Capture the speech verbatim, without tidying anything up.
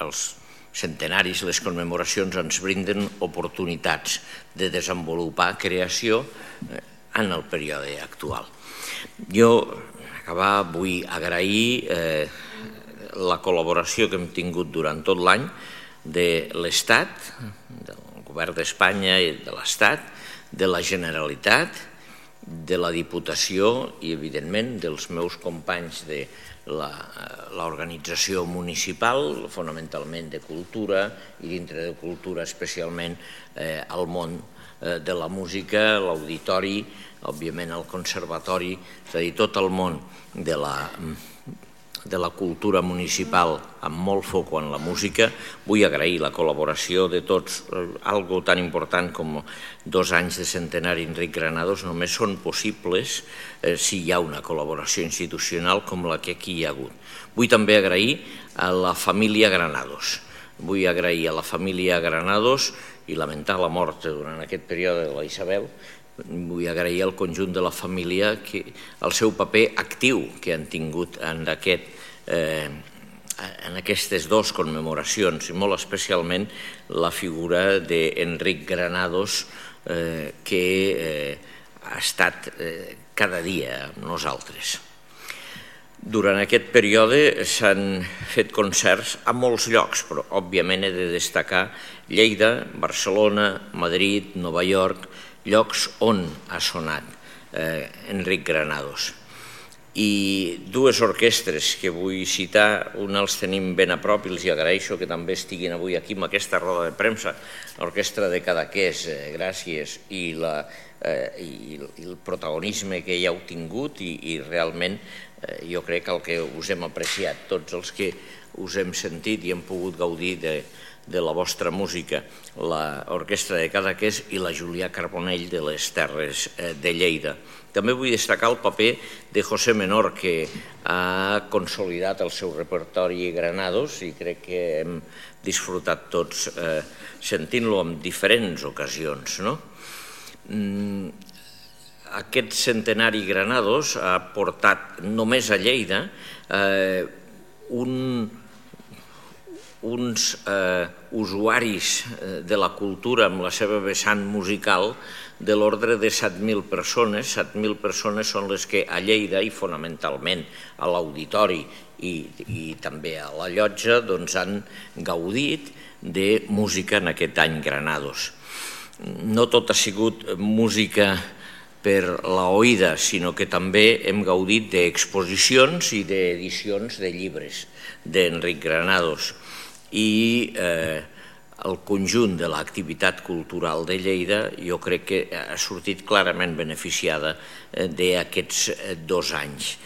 els centenaris, les commemoracions ens brinden oportunitats de desenvolupar creació en el període actual. Jo, acabar, vull agrair la col·laboració que hem tingut durant tot l'any de l'Estat, del Govern d'Espanya i de l'Estat, de la Generalitat, de la Diputació i, evidentment, dels meus companys de l'organització municipal, fonamentalment de cultura, i dintre de cultura especialment al món de la música, l'auditori, òbviament el conservatori, és a dir, tot el món de la de la cultura municipal amb molt foc en la música. Vull agrair la col·laboració de tots. Algo tan important com dos anys de centenari Enric Granados només són possibles si hi ha una col·laboració institucional com la que aquí hi ha hagut. Vull també agrair a la família Granados. Vull agrair a la família Granados i lamentar la mort durant aquest període de la Isabel. Vull agrair al conjunt de la família el seu paper actiu que han tingut en aquestes dues commemoracions i molt especialment la figura d'Enric Granados que ha estat cada dia amb nosaltres. Durant aquest període s'han fet concerts a molts llocs, però òbviament he de destacar Lleida, Barcelona, Madrid, Nova York, llocs on ha sonat Enric Granados. I dues orquestres que vull citar, una els tenim ben a prop i els agraeixo que també estiguin avui aquí amb aquesta roda de premsa, l'Orquestra de Cadaqués, gràcies, i el protagonisme que hi heu tingut i realment jo crec que el que us hem apreciat, tots els que us hem sentit i hem pogut gaudir de de la vostra música, l'Orquestra de Cadaqués i la Julià Carbonell de les Terres de Lleida. També vull destacar el paper de José Menor, que ha consolidat el seu repertori Granados i crec que hem disfrutat tots sentint-lo en diferents ocasions. Aquest centenari Granados ha portat només a Lleida un uns usuaris de la cultura amb la seva vessant musical de l'ordre de set mil persones. set mil persones són les que a Lleida i fonamentalment a l'auditori i també a la llotja han gaudit de música en aquest any Granados. No tot ha sigut música per l'oïda, sinó que també hem gaudit d'exposicions i d'edicions de llibres d'Enric Granados. I el conjunt de l'activitat cultural de Lleida jo crec que ha sortit clarament beneficiada d'aquests dos anys.